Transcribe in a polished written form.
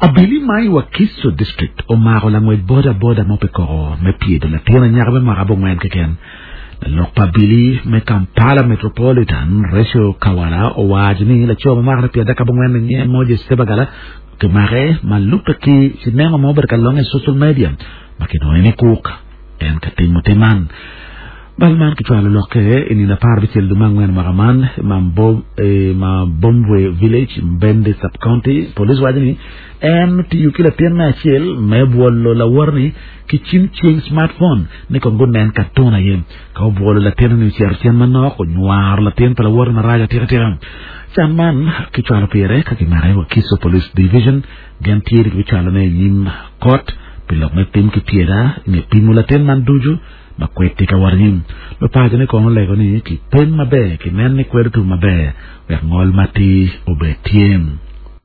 Abili ma i Wakiso District omako langwec boda boda mo pi koko me pyedo latin anyaka me mwaka abongwen keken. Lalok pa abili me Kampala Metropolitan, Rachel Kawala owaco ni laco ma mwakane pyerada abongwen ni nyinge Moses Sebagala kimake ma lubbe ki cinema ma obedo ka longe i social media ma kinongo ni kuk en ka timo tim man. Bal man kicwalo lokke i nino 16 dwe me angwen mwaka man i Mabombwe Village, Mbende Sub-County. Police waco ni en otiyo ki latin me acel me bwolo lawote-ni ki cim cing, smartphone, ni kong gunen katun aye. Ka obwolo latin-ni ocito cen manok, onywaro latin pa lawote marac atika tika. Can man kicwalo pire ka kimake i Wakiso Police Division. Gen tye ni kibicwalone i nyim kot pi lok me tim ki pyeda i nge pimo latin man ducu ma kwed tye ka wot anyim. Lupacone kono olego ni kipeny maber kinen ni kwed otum maber wek ngol matir obed tye.